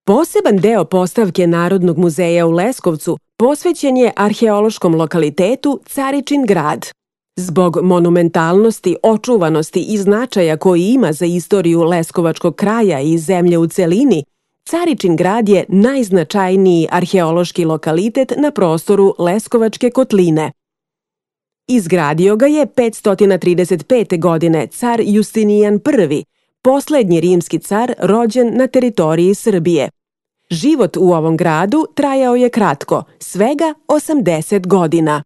Poseban deo postavke Narodnog muzeja u Leskovcu posvećen je arheološkom lokalitetu Caričin grad. Zbog monumentalnosti, očuvanosti i značaja koji ima za istoriju leskovačkog kraja i zemlje u celini, Caričin grad je najznačajniji arheološki lokalitet na prostoru Leskovačke kotline. Izgradio ga je 535. godine car Justinijan I, poslednji rimski car rođen na teritoriji Srbije. Život u ovom gradu trajao je kratko, svega 80 godina.